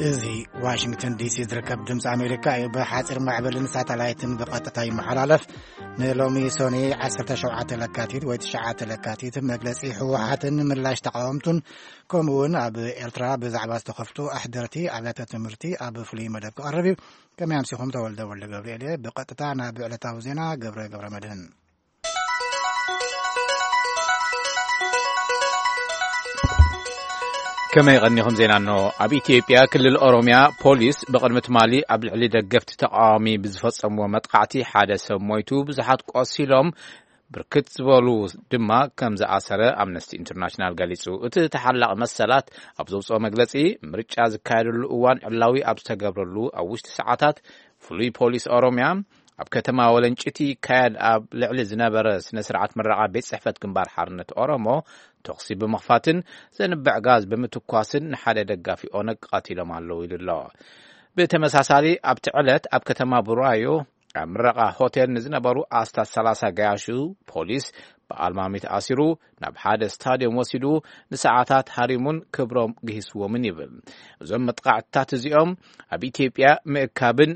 እዚ ዋሽንግተን ዲሲ ዝርከብ ድምፂ ኣሜሪካ እዩ። ብሓፂር ማዕበልን ሳተላይትን ብቐጥታ ይመሓላለፍ። ንሎሚ ሶኒ ዓሰርተ ሸውዓተ ለካቲት ወይ ትሽዓተ ለካቲት መግለፂ ህወሓትን ምላሽ ተቃወምቱን፣ ከምኡ እውን ኣብ ኤርትራ ብዛዕባ ዝተኸፍቱ ኣሕደርቲ ኣብያተ ትምህርቲ ኣብ ፍሉይ መደብ ክቐርብ እዩ። ከመይ ኣምሲኹም? ተወልደ ወልደ ገብርኤል እየ። ብቐጥታ ናብ ዕለታዊ ዜና ገብረ ገብረ መድህን። ከመይ ቀኒኹም? ዜና እንሆ። ኣብ ኢትዮጵያ ክልል ኦሮሚያ ፖሊስ ብቕድሚ ትማሊ ኣብ ልዕሊ ደገፍቲ ተቃዋሚ ብዝፈጸምዎ መጥቃዕቲ ሓደ ሰብ ሞይቱ፣ ብዙሓት ቆሲሎም፣ ብርክት ዝበሉ ድማ ከም ዝኣሰረ ኣምነስቲ ኢንተርናሽናል ገሊጹ። እቲ ተሓላቒ መሰላት ኣብ ዘውጽኦ መግለጺ፣ ምርጫ ዝካየደሉ እዋን ዕላዊ ኣብ ዝተገብረሉ ኣብ ውሽጢ ሰዓታት ፍሉይ ፖሊስ ኦሮሚያ ኣብ ከተማ ወለንጭቲ ይካየድ ኣብ ልዕሊ ዝነበረ ስነ ስርዓት ምረቓ ቤት ጽሕፈት ግንባር ሓርነት ኦሮሞ ተኹሲ ብምኽፋትን ዘንብዕ ጋዝ ብምትኳስን ንሓደ ደጋፊ ኦነግ ቀቲሎም ኣለዉ ኢሉ ኣሎ። ብተመሳሳሊ ኣብቲ ዕለት ኣብ ከተማ ቡራዮ ኣብ ምረቓ ሆቴል ንዝነበሩ ኣስታት ሰላሳ ገያሹ ፖሊስ ብኣልማሚት ኣሲሩ ናብ ሓደ ስታድዮም ወሲዱ ንሰዓታት ሃሪሙን ክብሮም ግሂስዎምን ይብል። እዞም መጥቃዕትታት እዚኦም ኣብ ኢትዮጵያ ምእካብን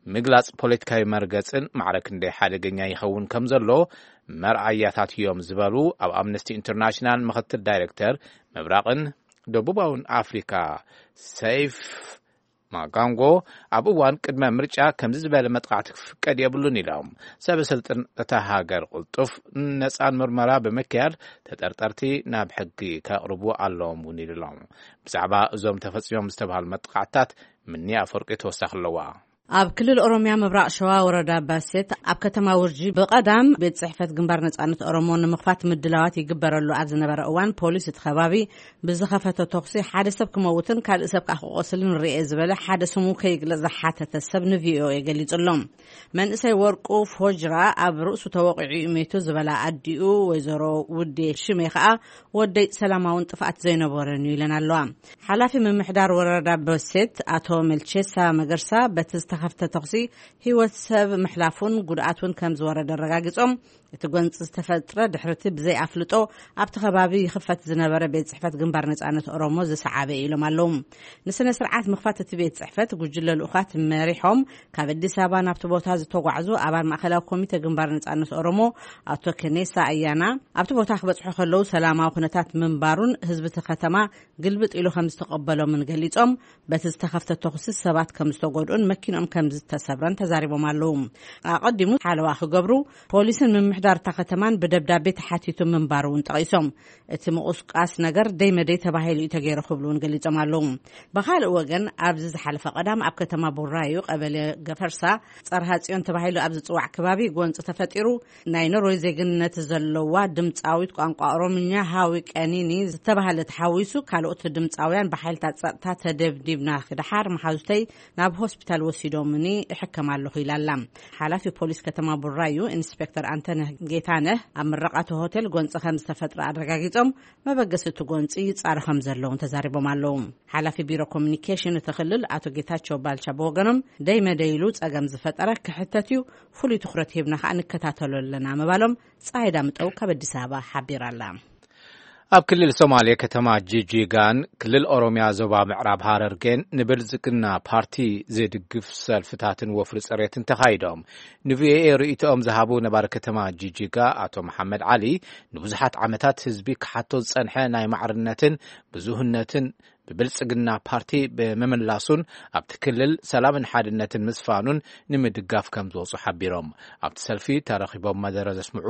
ምግላጽ ፖለቲካዊ መርገጽን ማዕረ ክንደይ ሓደገኛ ይኸውን ከም ዘሎ መርኣያታት እዮም ዝበሉ ኣብ ኣምነስቲ ኢንተርናሽናል ምኽትል ዳይሬክተር ምብራቕን ደቡባውን ኣፍሪካ ሰይፍ ማጋንጎ፣ ኣብ እዋን ቅድመ ምርጫ ከምዚ ዝበለ መጥቃዕቲ ክፍቀድ የብሉን ኢሎም። ሰበ ስልጣን እታ ሃገር ቅልጡፍ ነጻን ምርመራ ብምክያድ ተጠርጠርቲ ናብ ሕጊ ከቕርቡ ኣለዎም እውን ኢሉ ኣሎ። ብዛዕባ እዞም ተፈጺሞም ዝተባሃሉ መጥቃዕትታት ምኒ ኣፈወርቂ ተወሳኺ ኣለዋ። ኣብ ክልል ኦሮሚያ ምብራቕ ሸዋ ወረዳ ባሴት ኣብ ከተማ ውርጂ ብቐዳም ቤት ጽሕፈት ግንባር ነጻነት ኦሮሞ ንምኽፋት ምድላዋት ይግበረሉ ኣብ ዝነበረ እዋን፣ ፖሊስ እቲ ከባቢ ብዝኸፈቶ ተኹሲ ሓደ ሰብ ክመውትን ካልእ ሰብ ከኣ ክቖስልን ርኤ ዝበለ ሓደ ስሙ ከይግለጽ ዝሓተተ ሰብ ንቪኦኤ ገሊጹ ኣሎ። መንእሰይ ወርቁ ፎጅራ ኣብ ርእሱ ተወቒዑ እዩ ሜቱ ዝበላ ኣዲኡ ወይዘሮ ውዴ ሽሜ ከኣ፣ "ወደይ ሰላማውን ጥፍኣት ዘይነበረን እዩ" ኢለን ኣለዋ። ሓላፊ ምምሕዳር ወረዳ በሴት ኣቶ መልቼሳ መገርሳ፣ በቲ ዝተኸፍተ ተኹሲ ህይወት ሰብ ምሕላፉን ጉድኣት እውን ከም ዝወረደ ኣረጋጊጾም፣ እቲ ጎንፂ ዝተፈጥረ ድሕርቲ ብዘይ ኣፍልጦ ኣብቲ ከባቢ ይኽፈት ዝነበረ ቤት ጽሕፈት ግንባር ነጻነት ኦሮሞ ዝሰዓበ እዩ ኢሎም ኣለዉ። ንስነ ስርዓት ምኽፋት እቲ ቤት ጽሕፈት ጉጅለ ልኡኻት መሪሖም ካብ ኣዲስ ኣበባ ናብቲ ቦታ ዝተጓዕዙ ኣባል ማእከላዊ ኮሚቴ ግንባር ነጻነት ኦሮሞ ኣቶ ከኔሳ ኣያና፣ ኣብቲ ቦታ ክበጽሑ ከለዉ ሰላማዊ ኩነታት ምንባሩን ህዝቢ እቲ ከተማ ግልብጥ ኢሉ ከም ዝተቐበሎምን ገሊጾም፣ በቲ ዝተኸፍተ ተኹሲ ሰባት ከም ዝተጎድኡን መኪኖም ከም ዝተሰብረን ተዛሪቦም ኣለዉ። ኣቐዲሙ ሓለዋ ክገብሩ ፖሊስን ምምሕዳር እታ ከተማን ብደብዳቤ ተሓቲቱ ምንባሩ እውን ጠቒሶም፣ እቲ ምቑስቃስ ነገር ደይ መደይ ተባሂሉ እዩ ተገይሩ ክብሉ እውን ገሊጾም ኣለዉ። ብኻልእ ወገን፣ ኣብዚ ዝሓለፈ ቀዳም ኣብ ከተማ ቡራዩ ቀበሌ ገፈርሳ ጸርሃ ጽዮን ተባሂሉ ኣብ ዝጽዋዕ ከባቢ ጎንጺ ተፈጢሩ፣ ናይ ኖርዌይ ዜግነት ዘለዋ ድምጻዊት ቋንቋ ኦሮምኛ ሃዊ ቀኒኒ ዝተባህለ ተሓዊሱ፣ ካልኦት ድምጻውያን ብሓይልታት ጸጥታ ተደብዲብና ክድሓር መሓዙተይ ናብ ሆስፒታል ወሲዶምኒ እሕከም ኣለኹ ኢላ ኣላ። ሓላፊ ፖሊስ ከተማ ቡራዩ ኢንስፔክተር ኣንተነህ ጌታነህ ኣብ ምረቓ እቲ ሆቴል ጎንጺ ከም ዝተፈጥረ ኣረጋጊጾም፣ መበገሲ እቲ ጎንጺ ይጻረ ከም ዘለውን ተዛሪቦም ኣለዉ። ሓላፊ ቢሮ ኮሚኒኬሽን እቲ ክልል ኣቶ ጌታቸው ባልቻ ብወገኖም፣ ደይ መደይ ኢሉ ጸገም ዝፈጠረ ክሕተት እዩ፣ ፍሉይ ትኹረት ሂብና ከኣ ንከታተሎ ኣለና ምባሎም ጸሃይ ዳምጠው ካብ ኣዲስ ኣበባ ሓቢራ ኣላ። ኣብ ክልል ሶማሌ ከተማ ጂጂጋን ክልል ኦሮሚያ ዞባ ምዕራብ ሃረርጌን ንብልጽግና ፓርቲ ዝድግፍ ሰልፍታትን ወፍሪ ጽሬትን ተኻይዶም። ንቪኦኤ ርእይቶኦም ዝሃቡ ነባሪ ከተማ ጂጂጋ ኣቶ መሓመድ ዓሊ፣ ንብዙሓት ዓመታት ህዝቢ ክሓቶ ዝጸንሐ ናይ ማዕርነትን ብዙህነትን ብብልጽግና ፓርቲ ብምምላሱን ኣብቲ ክልል ሰላምን ሓድነትን ምስፋኑን ንምድጋፍ ከም ዝወጹ ሓቢሮም። ኣብቲ ሰልፊ ተረኺቦም መደረ ዘስምዑ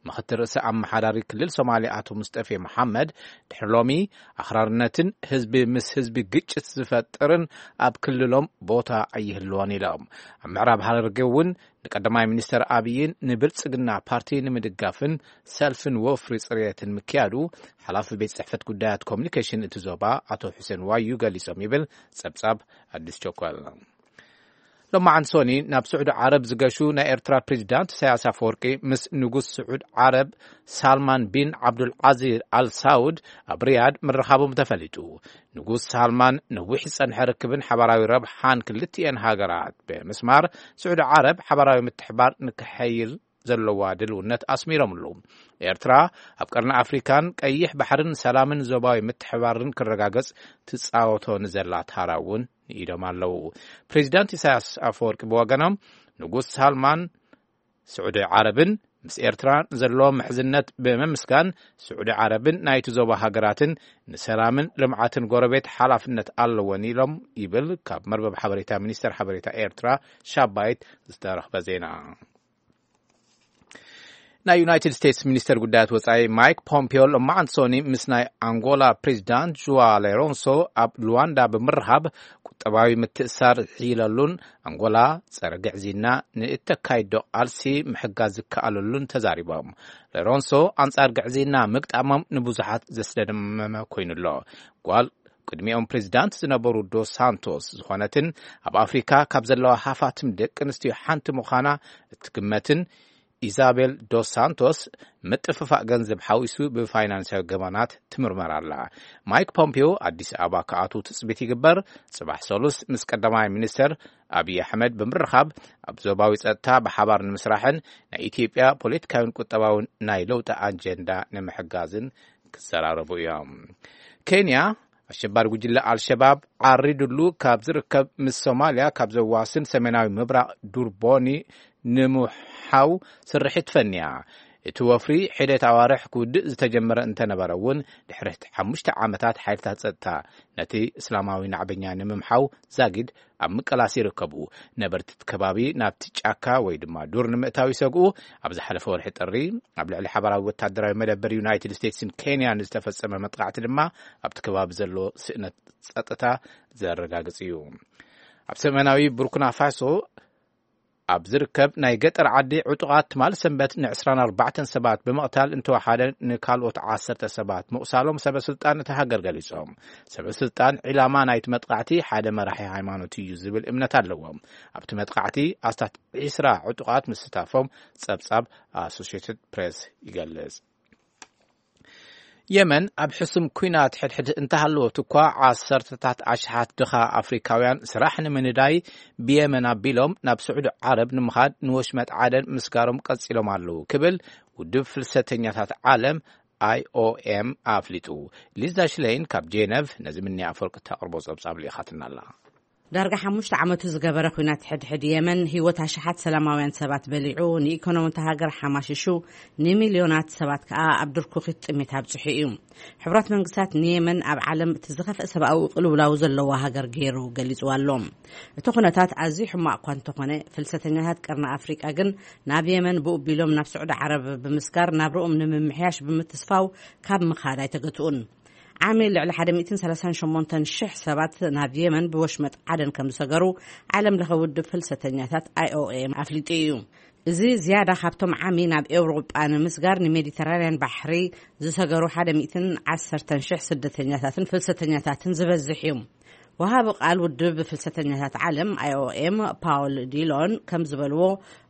ምኽትል ርእሰ ኣመሓዳሪ ክልል ሶማሌ ኣቶ ሙስጠፌ መሓመድ፣ ድሕሪ ሎሚ ኣኽራርነትን ህዝቢ ምስ ህዝቢ ግጭት ዝፈጥርን ኣብ ክልሎም ቦታ ኣይህልዎን ኢሎም። ኣብ ምዕራብ ሃረርጌ እውን ንቀዳማይ ሚኒስተር ኣብይን ንብልጽግና ፓርቲ ንምድጋፍን ሰልፍን ወፍሪ ጽሬትን ምክያዱ ሓላፊ ቤት ጽሕፈት ጉዳያት ኮሚኒኬሽን እቲ ዞባ ኣቶ ሑሴን ዋዩ ገሊጾም ይብል ጸብጻብ ኣዲስ ቸኮል። ሎማዓንቲ ሶኒ ናብ ስዑዲ ዓረብ ዝገሹ ናይ ኤርትራ ፕሬዚዳንት ኢሳያስ ኣፈወርቂ ምስ ንጉስ ስዑድ ዓረብ ሳልማን ቢን ዓብዱል ዓዚዝ ኣል ሳውድ ኣብ ሪያድ ምርኻቦም ተፈሊጡ። ንጉስ ሳልማን ነዊሕ ዝጸንሐ ርክብን ሓባራዊ ረብሓን ክልቲኤን ሃገራት ብምስማር፣ ስዑዲ ዓረብ ሓባራዊ ምትሕባር ንክሐይል ዘለዋ ድልውነት ኣስሚሮምሉ። ኤርትራ ኣብ ቀርኒ ኣፍሪካን ቀይሕ ባሕርን ሰላምን ዞባዊ ምትሕባርን ክረጋገጽ ትጻወቶ ንዘላ ታራ እውን ንኢዶም ኣለዉ። ፕሬዚዳንት ኢሳያስ ኣፈወርቂ ብወገኖም፣ ንጉስ ሳልማን ስዑዲ ዓረብን ምስ ኤርትራ ዘለዎም ምሕዝነት ብምምስጋን፣ ስዑዲ ዓረብን ናይቲ ዞባ ሃገራትን ንሰላምን ልምዓትን ጎረቤት ሓላፍነት ኣለወን ኢሎም ይብል ካብ መርበብ ሓበሬታ ሚኒስተር ሓበሬታ ኤርትራ ሻባይት ዝተረኽበ ዜና። ናይ ዩናይትድ ስቴትስ ሚኒስተር ጉዳያት ወጻኢ ማይክ ፖምፒዮ ሎማዓንቲ ሶኒ ምስ ናይ ኣንጎላ ፕሬዚዳንት ዥዋ ሎረንሶ ኣብ ሉዋንዳ ብምርኻብ፣ ቁጠባዊ ምትእሳር ዝሕይለሉን ኣንጎላ ጸረ ግዕዝይና ንእተካይዶ ቃልሲ ምሕጋዝ ዝከኣለሉን ተዛሪቦም። ሎረንሶ ኣንጻር ግዕዝይና ምግጣሞም ንብዙሓት ዘስደመመ ኮይኑሎ። ጓል ቅድሚኦም ፕሬዚዳንት ዝነበሩ ዶስ ሳንቶስ ዝኾነትን ኣብ ኣፍሪካ ካብ ዘለዋ ሃፋትም ደቂ ኣንስትዮ ሓንቲ ምዃና እትግመትን ኢዛቤል ዶስ ሳንቶስ፣ ምጥፍፋእ ገንዘብ ሓዊሱ ብፋይናንሳዊ ገበናት ትምርመር ኣላ። ማይክ ፖምፒዮ ኣዲስ ኣበባ ክኣትዉ ትጽቢት ይግበር። ጽባሕ ሰሉስ ምስ ቀዳማይ ሚኒስተር ኣብይ ኣሕመድ ብምርኻብ፣ ኣብ ዞባዊ ጸጥታ ብሓባር ንምስራሕን ናይ ኢትዮጵያ ፖለቲካዊን ቁጠባውን ናይ ለውጢ ኣጀንዳ ንምሕጋዝን ክዘራረቡ እዮም። ኬንያ፣ ኣሸባሪ ጉጅለ ኣልሸባብ ዓሪዱሉ ካብ ዝርከብ፣ ምስ ሶማልያ ካብ ዘዋስን ሰሜናዊ ምብራቕ ዱርቦኒ ንምሓው ስርሒት ፈንያ። እቲ ወፍሪ ሒደት ኣዋርሕ ክውድእ ዝተጀመረ እንተነበረ እውን፣ ድሕሪ ሓሙሽተ ዓመታት ሓይልታት ጸጥታ ነቲ እስላማዊ ናዕበኛ ንምምሓው ዛጊድ ኣብ ምቅላስ ይርከቡ። ነበርቲ እቲ ከባቢ ናብቲ ጫካ ወይ ድማ ዱር ንምእታው ይሰግኡ። ኣብ ዝሓለፈ ወርሒ ጥሪ፣ ኣብ ልዕሊ ሓባራዊ ወታደራዊ መደበር ዩናይትድ ስቴትስን ኬንያን ዝተፈጸመ መጥቃዕቲ ድማ ኣብቲ ከባቢ ዘሎ ስእነት ጸጥታ ዘረጋግጽ እዩ። ኣብ ሰሜናዊ ቡርኪና ፋሶ ኣብ ዝርከብ ናይ ገጠር ዓዲ፣ ዕጡቓት ትማሊ ሰንበት ን ዕስራን ኣርባዕተን ሰባት ብምቕታል እንተወሓደ፣ ንካልኦት ዓሰርተ ሰባት ምቑሳሎም ሰበ ስልጣን እቲ ሃገር ገሊጾም። ሰበ ስልጣን፣ ዒላማ ናይቲ መጥቃዕቲ ሓደ መራሒ ሃይማኖት እዩ ዝብል እምነት ኣለዎም። ኣብቲ መጥቃዕቲ ኣስታት ዒስራ ዕጡቓት ምስታፎም ጸብጻብ ኣሶሽየትድ ፕሬስ ይገልጽ። የመን ኣብ ሕሱም ኲናት ሕድሕድ እንተሃለወት እኳ፣ ዓሰርተታት ኣሽሓት ድኻ ኣፍሪካውያን ስራሕ ንምንዳይ ብየመን ኣቢሎም ናብ ስዑዲ ዓረብ ንምኻድ ንወሽመጥ ዓደን ምስጋሮም ቀጺሎም ኣለዉ ክብል ውድብ ፍልሰተኛታት ዓለም፣ ኣይኦኤም፣ ኣፍሊጡ። ሊዛ ሽለይን ካብ ጄነቭ ነዚ ምንያ ኣፈወርቂ እተቕርቦ ጸብጻብ ልኢኻትና ኣላ። ዳርጋ ሓሙሽተ ዓመቱ ዝገበረ ኲናት ሕድሕድ የመን ህይወት ኣሽሓት ሰላማውያን ሰባት በሊዑ፣ ንኢኮኖሚ እታ ሃገር ሓማሽሹ፣ ንሚልዮናት ሰባት ከኣ ኣብ ድርኩኺት ጥሜት ኣብጽሑ እዩ። ሕቡራት መንግስታት ንየመን ኣብ ዓለም እቲ ዝኸፍአ ሰብኣዊ ቅልውላው ዘለዋ ሃገር ገይሩ ገሊጽዋ ኣሎ። እቲ ኩነታት ኣዝዩ ሕማቕ እኳ እንተኾነ፣ ፍልሰተኛታት ቀርኒ ኣፍሪቃ ግን ናብ የመን ብኡ ቢሎም ናብ ስዑዲ ዓረብ ብምስጋር ናብርኦም ንምምሕያሽ ብምትስፋው ካብ ምኻድ ኣይተገትኡን። ዓሚ ልዕሊ ሓደ ሚእትን ሰላሳን ሸሞንተን ሽሕ ሰባት ናብ የመን ብወሽመጥ ዓደን ከም ዝሰገሩ ዓለም ለኸ ውድብ ፍልሰተኛታት ኣይኦኤም ኣፍሊጡ እዩ። እዚ ዝያዳ ካብቶም ዓሚ ናብ ኤውሮጳ ንምስጋር ንሜዲተራንያን ባሕሪ ዝሰገሩ ሓደ ሚእትን ዓሰርተን ሽሕ ስደተኛታትን ፍልሰተኛታትን ዝበዝሕ እዩ። ወሃቢ ቃል ውድብ ፍልሰተኛታት ዓለም ኣይኦኤም ፓውል ዲሎን ከም ዝበልዎ፣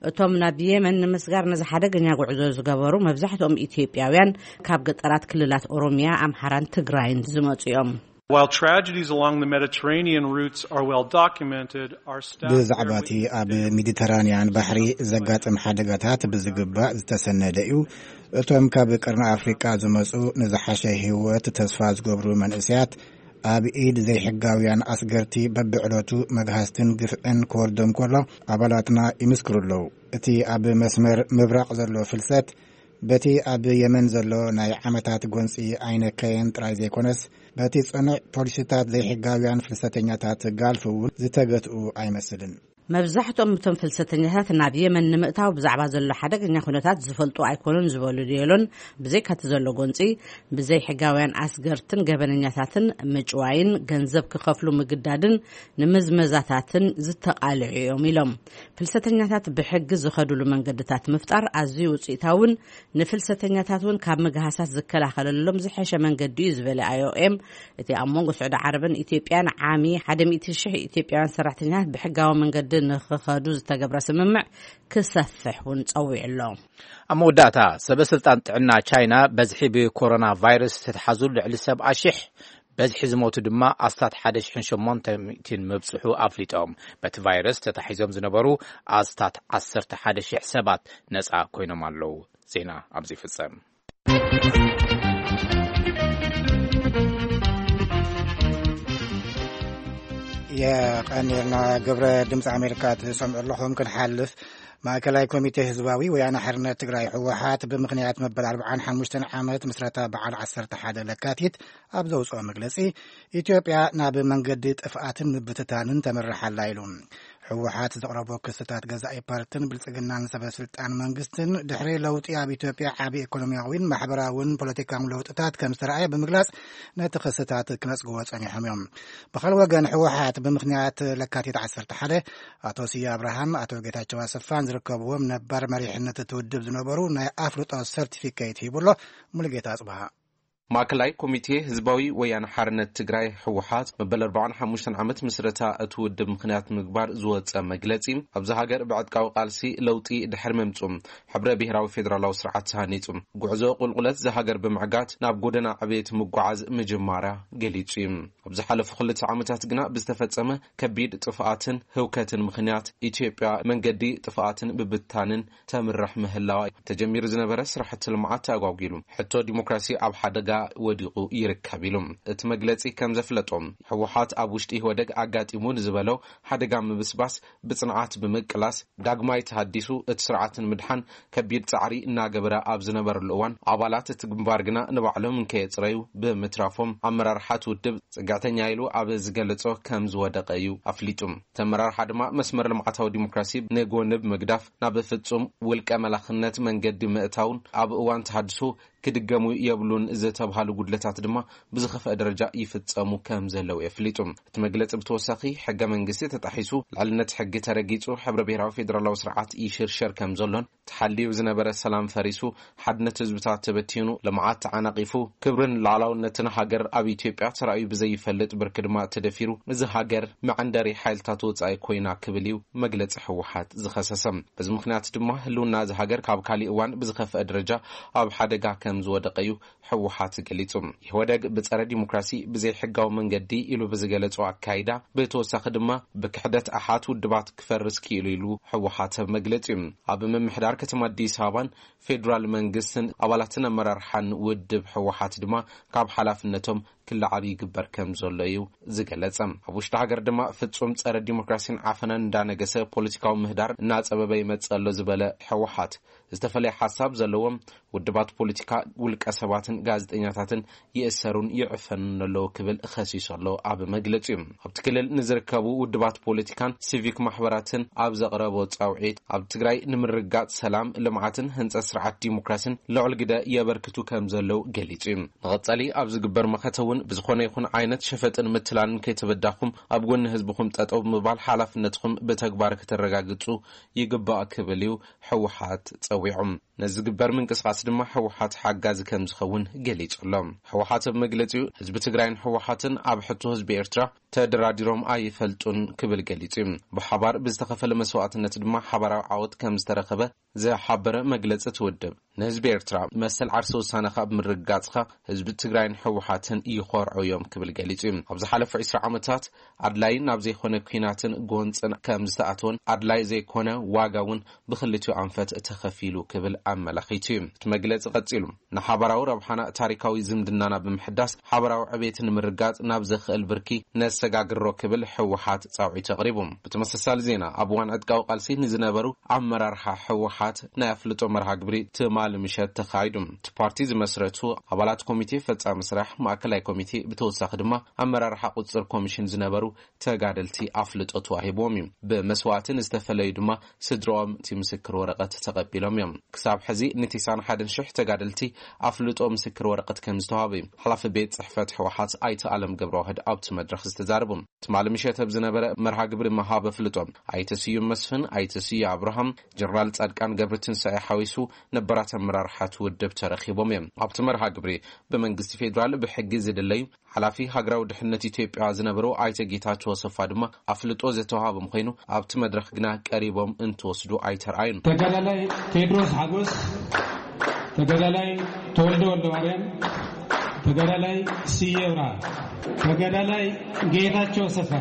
እቶም ናብ የመን ንምስጋር ነዚ ሓደገኛ ጉዕዞ ዝገበሩ መብዛሕትኦም ኢትዮጵያውያን ካብ ገጠራት ክልላት ኦሮሚያ፣ ኣምሓራን ትግራይን ዝመጹ እዮም። While tragedies along the Mediterranean routes are well documented, our staff ብዛዕባ እቲ ኣብ ሜዲተራንያን ባሕሪ ዘጋጥም ሓደጋታት ብዝግባእ ዝተሰነደ እዩ። እቶም ካብ ቀርኒ ኣፍሪቃ ዝመጹ ንዝሓሸ ህይወት ተስፋ ዝገብሩ መንእሰያት ኣብ ኢድ ዘይሕጋውያን ኣስገርቲ በብዕለቱ መግሃስትን ግፍዕን ክወርዶም ከሎ ኣባላትና ይምስክሩ ኣለዉ። እቲ ኣብ መስመር ምብራቕ ዘሎ ፍልሰት በቲ ኣብ የመን ዘሎ ናይ ዓመታት ጎንጺ ኣይነከየን ጥራይ ዘይኮነስ፣ በቲ ጽኑዕ ፖሊሲታት ዘይሕጋውያን ፍልሰተኛታት ጋልፍ እውን ዝተገትኡ ኣይመስልን። መብዛሕትኦም እቶም ፍልሰተኛታት ናብ የመን ንምእታው ብዛዕባ ዘሎ ሓደገኛ ኩነታት ዝፈልጡ ኣይኮኑን ዝበሉ ዲዮሎን፣ ብዘይካቲ ዘሎ ጎንጺ፣ ብዘይሕጋውያን ኣስገርትን ገበነኛታትን ምጭዋይን ገንዘብ ክኸፍሉ ምግዳድን ንምዝመዛታትን ዝተቓልዑ እዮም ኢሎም። ፍልሰተኛታት ብሕጊ ዝኸዱሉ መንገድታት ምፍጣር ኣዝዩ ውጽኢታውን ንፍልሰተኛታት እውን ካብ ምግሃሳት ዝከላኸለሎም ዝሐሸ መንገዲ እዩ ዝበለ ኣይኦኤም፣ እቲ ኣብ መንጎ ስዑዲ ዓረብን ኢትዮጵያን ዓሚ ሓደ ሚእቲ ሽሕ ኢትዮጵያውያን ሰራሕተኛታት ብሕጋዊ መንገዲ ንኽኸዱ ዝተገብረ ስምምዕ ክሰፍሕ እውን ጸዊዑ ኣሎ። ኣብ መወዳእታ፣ ሰበ ስልጣን ጥዕና ቻይና በዝሒ ብኮሮና ቫይረስ ዝተተሓዙ ልዕሊ ሰብዓ ሽሕ፣ በዝሒ ዝሞቱ ድማ ኣስታት ሓደ ሽሕን ሸሞንተ ሚእትን ምብጽሑ ኣፍሊጦም። በቲ ቫይረስ ተታሒዞም ዝነበሩ ኣስታት ዓሰርተ ሓደ ሽሕ ሰባት ነጻ ኮይኖም ኣለዉ። ዜና ኣብዚ ይፍጸም። ቀኒልና ግብረ ድምፂ ኣሜሪካ ትሰምዑ ኣለኹም። ክንሓልፍ፣ ማእከላይ ኮሚቴ ህዝባዊ ወያነ ሓርነት ትግራይ፣ ህወሓት፣ ብምኽንያት መበል ኣርብዓን ሓሙሽተን ዓመት ምስረታ በዓል ዓሰርተ ሓደ ለካቲት ኣብ ዘውፅኦ መግለፂ፣ ኢትዮጵያ ናብ መንገዲ ጥፍኣትን ምብትታንን ተምርሓላ ኢሉ። ህወሓት ዘቕረቦ ክስታት ገዛኢ ፓርትን ብልጽግናን ሰበ ስልጣን መንግስትን ድሕሪ ለውጢ ኣብ ኢትዮጵያ ዓቢ ኢኮኖሚያዊን ማሕበራውን ፖለቲካውን ለውጥታት ከም ዝተረኣየ ብምግላጽ፣ ነቲ ክስታት ክነጽግዎ ጸኒሖም እዮም። ብኻልእ ወገን፣ ህወሓት ብምኽንያት ለካቲት ዓሰርተ ሓደ፣ ኣቶ ስየ ኣብርሃም፣ ኣቶ ጌታቸው ኣሰፋን ዝርከብዎም ነባር መሪሕነት እቲ ውድብ ዝነበሩ ናይ ኣፍልጦ ሰርቲፊኬት ሂቡ ኣሎ። ሙሉጌታ ኣጽብሃ። ማእከላይ ኮሚቴ ህዝባዊ ወያነ ሓርነት ትግራይ፣ ህወሓት፣ መበል ኣርባዓን ሓሙሽተን ዓመት ምስረታ እቲ ውድብ ምኽንያት ምግባር ዝወፀ መግለፂ፣ ኣብዚ ሃገር ብዕጥቃዊ ቃልሲ ለውጢ ድሕሪ ምምፁ፣ ሕብረ ብሄራዊ ፌዴራላዊ ስርዓት ተሃኒፁ፣ ጉዕዞ ቁልቁለት ዝሃገር ብምዕጋት ናብ ጎደና ዕቤት ምጓዓዝ ምጅማራ ገሊፁ እዩ። ኣብ ዝሓለፉ ክልተ ዓመታት ግና ብዝተፈፀመ ከቢድ ጥፍኣትን ህውከትን ምኽንያት፣ ኢትዮጵያ መንገዲ ጥፍኣትን ብብታንን ተምርሕ ምህላዋ፣ ተጀሚሩ ዝነበረ ስራሕቲ ልምዓት ኣጓጒሉ፣ ሕቶ ዲሞክራሲ ኣብ ሓደጋ ወዲቑ ይርከብ ኢሉ። እቲ መግለጺ ከም ዘፍለጦ፣ ህወሓት ኣብ ውሽጢ ኢህወደግ ኣጋጢሙ ንዝበሎ ሓደጋ ምብስባስ ብጽንዓት ብምቅላስ፣ ዳግማይ ተሃዲሱ እቲ ስርዓት ንምድሓን ከቢድ ጻዕሪ እናገበረ ኣብ ዝነበረሉ እዋን፣ ኣባላት እቲ ግንባር ግና ንባዕሎም እንከየጽረዩ ብምትራፎም፣ ኣመራርሓ እቲ ውድብ ጽግዕተኛ ኢሉ ኣብ ዝገለጾ ከም ዝወደቐ እዩ ኣፍሊጡ። እቲ ኣመራርሓ ድማ መስመር ልምዓታዊ ዲሞክራሲ ንጎኒ ብምግዳፍ፣ ናብ ፍጹም ውልቀ መላኽነት መንገዲ ምእታውን ኣብ እዋን ተሃድሶ ክድገሙ የብሉን ዝተብሃሉ ጉድለታት ድማ ብዝኸፍአ ደረጃ ይፍጸሙ ከም ዘለዉ የፍሊጡ። እቲ መግለጺ ብተወሳኺ፣ ሕገ መንግስቲ ተጣሒሱ፣ ልዕልነት ሕጊ ተረጊጹ፣ ሕብረ ብሄራዊ ፌደራላዊ ስርዓት ይሽርሸር ከም ዘሎን፣ ተሓልዩ ዝነበረ ሰላም ፈሪሱ፣ ሓድነት ህዝብታት ተበቲኑ፣ ልምዓት ተዓናቒፉ፣ ክብርን ሉዓላውነትን ሃገር ኣብ ኢትዮጵያ ተራእዩ ብዘይፈልጥ ብርኪ ድማ ተደፊሩ፣ እዚ ሃገር መዐንደሪ ሓይልታት ወጻኢ ኮይና ክብል እዩ መግለጺ ህወሓት ዝኸሰሰ። በዚ ምኽንያት ድማ ህልውና እዚ ሃገር ካብ ካሊእ እዋን ብዝኸፍአ ደረጃ ኣብ ሓደጋ ከም ዝወደቀ እዩ ህወሓት ገሊጹ። ኢህወደግ ብጸረ ዲሞክራሲ፣ ብዘይሕጋዊ መንገዲ ኢሉ ብዝገለጾ ኣካይዳ፣ ብተወሳኺ ድማ ብክሕደት ኣሓት ውድባት ክፈርስ ክኢሉ ኢሉ ህወሓት ኣብ መግለጺኡ። ኣብ ምምሕዳር ከተማ ኣዲስ ኣበባን ፌዴራል መንግስትን ኣባላትን ኣመራርሓን ውድብ ህወሓት ድማ ካብ ሓላፍነቶም ክለዓሉ ይግበር ከም ዘሎ እዩ ዝገለጸ። ኣብ ውሽጢ ሃገር ድማ ፍጹም ጸረ ዲሞክራሲን ዓፈናን እንዳነገሰ ፖለቲካዊ ምህዳር እናጸበበ ይመጽእ ኣሎ ዝበለ ህወሓት፣ ዝተፈለየ ሓሳብ ዘለዎም ውድባት ፖለቲካ፣ ውልቀ ሰባትን ጋዜጠኛታትን ይእሰሩን ይዕፈኑን ኣለዉ ክብል ከሲሱ ኣሎ ኣብ መግለጺኡ። ኣብቲ ክልል ንዝርከቡ ውድባት ፖለቲካን ሲቪክ ማሕበራትን ኣብ ዘቕረቦ ጻውዒት፣ ኣብ ትግራይ ንምርግጋጽ ሰላም፣ ልምዓትን ህንጸት ስርዓት ዲሞክራሲን ልዑል ግደ የበርክቱ ከም ዘለዉ ገሊጹ እዩ። ንቐጻሊ ኣብ ዝግበር መኸተ እውን ብዝኾነ ይኹን ዓይነት ሸፈጥን ምትላልን ከይተበዳኹም ኣብ ጎኒ ህዝብኹም ጠጠው ብምባል ሓላፍነትኹም ብተግባር ከተረጋግጹ ይግባእ ክብል እዩ ህወሓት ጸዊዑ። ነዚ ዝግበር ምንቅስቓስ ድማ ህወሓት ሓጋዚ ከም ዝኸውን ገሊጹ ኣሎ። ህወሓት ኣብ መግለጺኡ፣ ህዝቢ ትግራይን ህወሓትን ኣብ ሕቶ ህዝቢ ኤርትራ ተደራዲሮም ኣይፈልጡን ክብል ገሊጹ እዩ። ብሓባር ብዝተኸፈለ መስዋእትነት ድማ ሓባራዊ ዓወት ከም ዝተረኸበ ዝሓበረ መግለጺ እቲ ውድብ፣ ንህዝቢ ኤርትራ መሰል ዓርሰ ውሳነኻ ብምርግጋጽኻ ህዝቢ ትግራይን ህወሓትን ይኾርዑ እዮም ክብል ገሊጹ እዩ። ኣብ ዝሓለፉ ዕስራ ዓመታት ኣድላይ ናብ ዘይኮነ ኲናትን ጎንጽን ከም ዝተኣተወን ኣድላይ ዘይኮነ ዋጋ እውን ብኽልቲኡ ኣንፈት ተኸፊሉ ክብል ኣመላኺቱ እዩ። እቲ መግለጺ ቀጺሉ፣ ንሓባራዊ ረብሓና ታሪካዊ ዝምድናና ብምሕዳስ ሓባራዊ ዕቤት ንምርጋጽ ናብ ዘኽእል ብርኪ ነሰጋግሮ ክብል ህወሓት ጻውዒት ኣቕሪቡ። ብተመሳሳሊ ዜና፣ ኣብ እዋን ዕጥቃዊ ቃልሲ ንዝነበሩ ኣመራርሓ ህወሓት ናይ ኣፍልጦ መርሃ ግብሪ ትማሊ ምሸት ተኻይዱ። እቲ ፓርቲ ዝመስረቱ ኣባላት ኮሚቴ ፈጻሚ ስራሕ ማእከላይ ኮሚቴ፣ ብተወሳኺ ድማ ኣመራርሓ ቁጽጽር ኮሚሽን ዝነበሩ ተጋደልቲ ኣፍልጦ ተዋሂብዎም እዩ። ብመስዋእቲ ንዝተፈለዩ ድማ ስድራኦም እቲ ምስክር ወረቐት ተቐቢሎም እዮም። ክሳብ ሕዚ ንቲሳን ሓደን ሽሕ ተጋደልቲ ኣፍልጦ ምስክር ወረቐት ከም ዝተዋህበ እዩ ሓላፊ ቤት ጽሕፈት ህወሓት ኣይተ ኣለም ገብረዋህድ ኣብቲ መድረኽ ዝተዛረቡ። ትማሊ ምሸት ኣብ ዝነበረ መርሃ ግብሪ መሃብ ኣፍልጦ፣ ኣይተ ስዩም መስፍን፣ ኣይተ ስዩ ኣብርሃም፣ ጀነራል ጻድቃን ገብረትንሳኤ ሓዊሱ ነባራት ኣመራርሓ እቲ ውድብ ተረኺቦም እዮም። ኣብቲ መርሃ ግብሪ ብመንግስቲ ፌዴራል ብሕጊ ዝድለዩ ሓላፊ ሃገራዊ ድሕነት ኢትዮጵያ ዝነበሩ ኣይተ ጌታቸው ኣሰፋ ድማ ኣፍልጦ ዝተዋሃቦም ኮይኑ፣ ኣብቲ መድረኽ ግና ቀሪቦም እንትወስዱ ኣይተርኣዩን። ተጋዳላይ ቴድሮስ ሓጎስ፣ ተጋዳላይ ተወልደ ወልደ ማርያም፣ ተጋዳላይ ስየ ብርሃ፣ ተጋዳላይ ጌታቸው ኣሰፋ።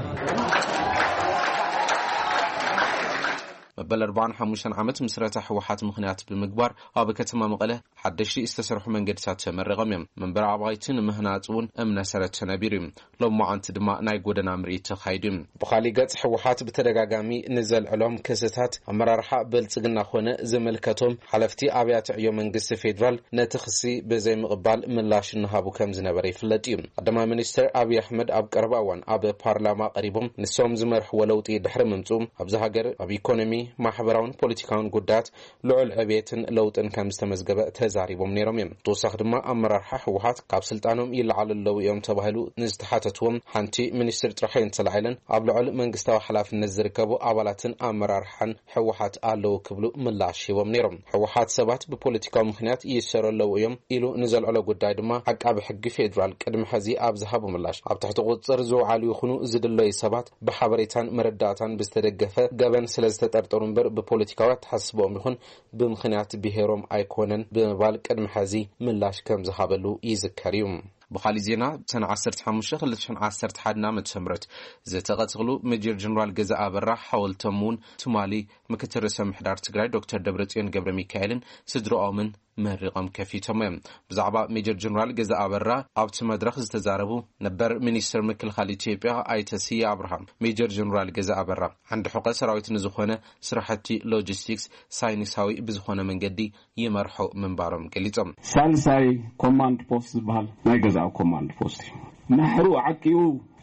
መበል ኣርባዓን ሓሙሽተን ዓመት ምስረታ ህወሓት ምኽንያት ብምግባር ኣብ ከተማ መቐለ ሓደሽቲ ዝተሰርሑ መንገድታት ተመሪቖም እዮም። መንበሪ ኣባይቲ ንምህናፅ እውን እምነ ሰረት ተነቢሩ እዩ። ሎማዓንቲ ድማ ናይ ጎደና ምርኢት ተኻይዱ እዩ። ብኻሊእ ገፅ ህወሓት ብተደጋጋሚ ንዘልዕሎም ክስታት ኣመራርሓ ብልፅግና ኮነ ዝምልከቶም ሓለፍቲ ኣብያተ ዕዮ መንግስቲ ፌዴራል ነቲ ክሲ ብዘይምቕባል ምላሽ እናሃቡ ከም ዝነበረ ይፍለጥ እዩ። ቀዳማይ ሚኒስትር ኣብይ ኣሕመድ ኣብ ቀረባ እዋን ኣብ ፓርላማ ቀሪቦም ንሶም ዝመርሕዎ ለውጢ ድሕሪ ምምፅኡ ኣብዚ ሃገር ኣብ ኢኮኖሚ፣ ማሕበራውን ፖለቲካውን ጉዳያት ልዑል ዕብየትን ለውጥን ከም ዝተመዝገበ ተዛሪቦም ነይሮም እዮም። ተወሳኺ ድማ ኣመራርሓ ህወሓት ካብ ስልጣኖም ይለዓሉ ኣለዉ እዮም ተባሂሉ ንዝተሓተትዎም ሓንቲ ሚኒስትር ጥራሕ እየን ተላዒለን ኣብ ልዑል መንግስታዊ ሓላፍነት ዝርከቡ ኣባላትን ኣመራርሓን ህወሓት ኣለዉ ክብሉ ምላሽ ሂቦም ነይሮም። ህወሓት ሰባት ብፖለቲካዊ ምኽንያት ይእሰሩ ኣለዉ እዮም ኢሉ ንዘልዕሎ ጉዳይ ድማ ዓቃቢ ሕጊ ፌዴራል ቅድሚ ሕዚ ኣብ ዝሃቦ ምላሽ ኣብ ትሕቲ ቁፅፅር ዝውዓሉ ይኹኑ ዝድለዩ ሰባት ብሓበሬታን መረዳእታን ብዝተደገፈ ገበን ስለ ዝተጠርጠሩ እምበር ብፖለቲካዊ ኣተሓሳስባኦም ይኹን ብምኽንያት ብሄሮም ኣይኮነን ብምባል ቅድሚ ሕዚ ምላሽ ከም ዝሃበሉ ይዝከር እዩ። ብኻሊእ ዜና ብሰነ ዓሰርተ ሓሙሽተ ክልተ ሽሕን ዓሰርተ ሓደን ዓመተ ምህረት ዝተቐተሉ ሜጀር ጀነራል ገዛ ኣበራ ሓወልቶም እውን ትማሊ ምክትል ርእሰ ምሕዳር ትግራይ ዶክተር ደብረጽዮን ገብረ ሚካኤልን ስድራኦምን መሪቖም ከፊቶም እዮም። ብዛዕባ ሜጀር ጀነራል ገዛ ኣበራ ኣብቲ መድረኽ ዝተዛረቡ ነበር ሚኒስትር ምክልኻል ኢትዮጵያ ኣይተ ስየ ኣብርሃም፣ ሜጀር ጀነራል ገዛ ኣበራ ዓንዲ ሕቆ ሰራዊት ንዝኾነ ስራሕቲ ሎጂስቲክስ ሳይንሳዊ ብዝኾነ መንገዲ ይመርሑ ምንባሮም ገሊጾም። ሳልሳይ ኮማንድ ፖስት ዝበሃል ናይ ገዛእ ኮማንድ ፖስት እዩ። ናሕሩ ዓቂቡ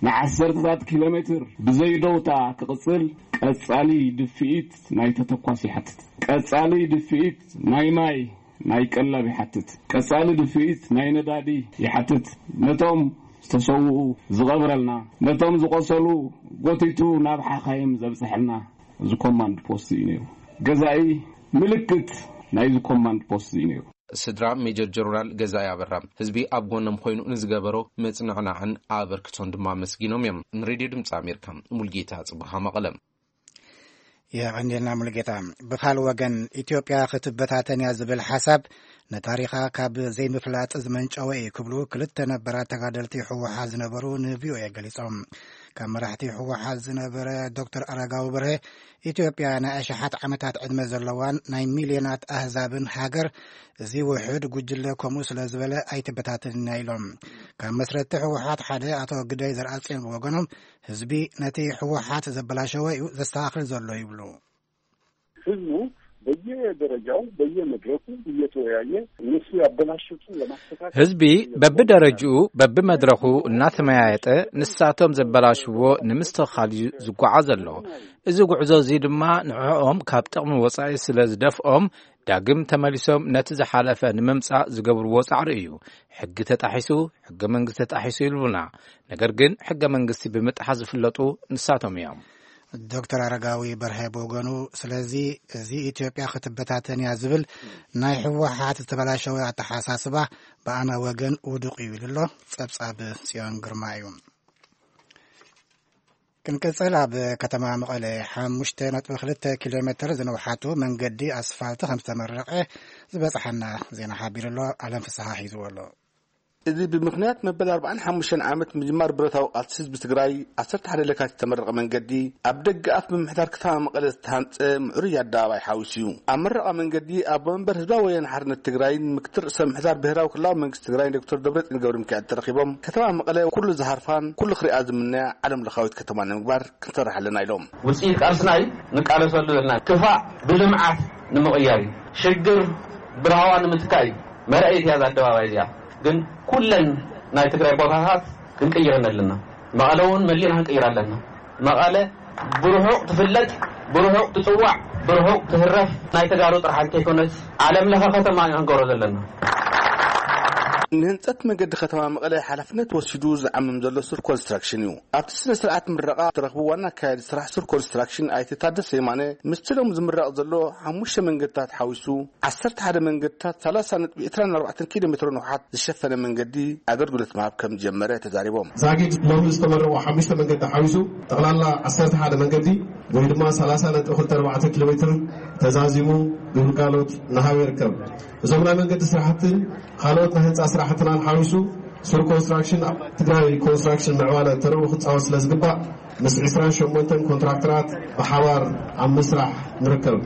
ንዓሰርተታት ኪሎ ሜትር ብዘይደውታ ክቕጽል ቀጻሊ ድፍኢት ናይ ተተኳስ ይሓትት። ቀጻሊ ድፍኢት ናይ ማይ፣ ናይ ቀለብ ይሓትት። ቀጻሊ ድፍኢት ናይ ነዳዲ ይሓትት። ነቶም ዝተሰውኡ ዝቐብረልና፣ ነቶም ዝቖሰሉ ጎቲቱ ናብ ሓኻይም ዘብጽሐልና እዚ ኮማንድ ፖስት እዩ ነይሩ። ገዛኢ ምልክት ናይዚ ኮማንድ ፖስት እዩ ነይሩ። ስድራ ሜጀር ጀነራል ገዛኢ ኣበራ ህዝቢ ኣብ ጎኖም ኮይኑ ንዝገበሮ ምጽንዕናዕን ኣበርክቶን ድማ ኣመስጊኖም እዮም። ንሬድዮ ድምፂ ኣሜሪካ ሙልጌታ ጽቡሃ መቐለ። የቐንየልና ሙሉጌታ። ብኻል ወገን ኢትዮጵያ ክትበታተን እያ ዝብል ሓሳብ ንታሪኻ ካብ ዘይምፍላጥ ዝመንጨወ እዩ ክብሉ ክልተ ነበራት ተጋደልቲ ህወሓት ዝነበሩ ንቪኦኤ ገሊጾም። ካብ መራሕቲ ህወሓት ዝነበረ ዶክተር ኣረጋዊ በርሀ ኢትዮጵያ ናይ ኣሽሓት ዓመታት ዕድመ ዘለዋን ናይ ሚልዮናት ኣህዛብን ሃገር፣ እዚ ውሑድ ጉጅለ ከምኡ ስለ ዝበለ ኣይትበታተንን እያ ኢሎም። ካብ መስረቲ ህወሓት ሓደ ኣቶ ግደይ ዘርኣጽዮን ብወገኖም ህዝቢ ነቲ ህወሓት ዘበላሸወ እዩ ዘስተኻኽል ዘሎ ይብሉ። ህዝቡ በየደረጃው በየመድረኩ እየተወያየ እነሱ ያበላሹትን ለማስተካከል ህዝቢ በብደረጅኡ በብመድረኹ እናተመያየጠ ንሳቶም ዘበላሽዎ ንምስትኽኻል እዩ ዝጓዓዝ ዘሎ። እዚ ጉዕዞ እዚ ድማ ንዕኦም ካብ ጥቕሚ ወፃኢ ስለ ዝደፍኦም ዳግም ተመሊሶም ነቲ ዝሓለፈ ንምምፃእ ዝገብርዎ ፃዕሪ እዩ። ሕጊ ተጣሒሱ፣ ሕገ መንግስቲ ተጣሒሱ ይብሉና። ነገር ግን ሕገ መንግስቲ ብምጥሓስ ዝፍለጡ ንሳቶም እዮም። ዶክተር ኣረጋዊ በርሀ ብወገኑ፣ ስለዚ እዚ ኢትዮጵያ ክትበታተን እያ ዝብል ናይ ህወሓት ዝተበላሸወ ኣተሓሳስባ ብኣና ወገን ውዱቕ እዩ ኢሉ ኣሎ። ጸብጻብ ጽዮን ግርማ እዩ። ክንቅጽል፣ ኣብ ከተማ መቐለ ሓሙሽተ ነጥቢ ክልተ ኪሎ ሜትር ዝንውሓቱ መንገዲ ኣስፋልት ከም ዝተመረቐ ዝበጽሓና ዜና ሓቢሩ ኣሎ። ኣለም ፍስሓ ሒዝዎ ኣሎ። እዚ ብምኽንያት መበል ኣርባዓን ሓሙሽተን ዓመት ምጅማር ብረታዊ ቃልሲ ህዝቢ ትግራይ ዓሰርተ ሓደ ለካቲት ዝተመረቐ መንገዲ ኣብ ደገ ኣፍ ምምሕዳር ከተማ መቐለ ዝተሃንፀ ምዕሩይ ኣደባባይ ሓዊሱ እዩ። ኣብ መረቓ መንገዲ ኣቦ መንበር ህዝባዊ ወያነ ሓርነት ትግራይን ምክትል ርእሰ ምምሕዳር ብሄራዊ ክልላዊ መንግስቲ ትግራይ ዶክተር ደብረፅዮን ገብረ ሚካኤል ተረኺቦም ከተማ መቐለ ኩሉ ዝሃርፋን ኩሉ ክሪኣ ዝምነያ ዓለም ለኻዊት ከተማ ንምግባር ክንሰርሕ ኣለና ኢሎም። ውፅኢት ቃልስና እዩ ንቃለሰሉ ዘለና። ክፋእ ብልምዓት ንምቕያር እዩ። ሽግር ብራህዋ ንምትካእ እዩ። መርኣይት እያ እዛ ኣደባባይ እዚኣ። ግን ኩለን ናይ ትግራይ ቦታታት ክንቅይረን ኣለና። መቐለ እውን መሊእና ክንቅይር ኣለና። መቐለ ብርሑቕ ትፍለጥ፣ ብርሑቕ ትፅዋዕ፣ ብርሑቕ ትህረፍ ናይ ተጋሩ ጥራሕ እንተይኮነስ ዓለም ለኸ ከተማ ኢና ክንገብሮ ዘለና። ንህንፀት መንገዲ ከተማ መቐለ ሓላፍነት ወሲዱ ዝዓምም ዘሎ ሱር ኮንስትራክሽን እዩ። ኣብቲ ስነ ስርዓት ምረቓ ዝተረኽቡ ዋና ኣካያዲ ስራሕ ሱር ኮንስትራክሽን ኣይተ ታደሰ የማነ፣ ምስቲ ሎም ዝምረቕ ዘሎ ሓሙሽተ መንገድታት ሓዊሱ ዓሰርተ ሓደ መንገድታት ሰላሳ ነጥቢ ዕስራን ኣርባዕተን ኪሎ ሜትሮ ንውሓት ዝሸፈነ መንገዲ ኣገልግሎት ምሃብ ከም ዝጀመረ ተዛሪቦም። ዛጊድ ሎም ዝተመረቑ ሓሙሽተ መንገዲ ሓዊሱ ጠቕላላ ዓሰርተ ሓደ መንገዲ ወይ ድማ ሰላሳ ነጥቢ ክልተ ኣርባዕተ ኪሎ ሜትር ተዛዚሙ ግልጋሎት እናሃበ ይርከብ። እዞም ናይ መንገዲ ስራሕትን ካልኦት ናይ ህንፃ ስራሕትናን ሓዊሱ ሱር ኮንስትራክሽን ኣብ ትግራይ ኮንስትራክሽን ምዕባለ ተርኡ ክፃወት ስለ ዝግባእ ምስ ዕስራን ሸሞንተን ኮንትራክተራት ብሓባር ኣብ ምስራሕ ንርከብ።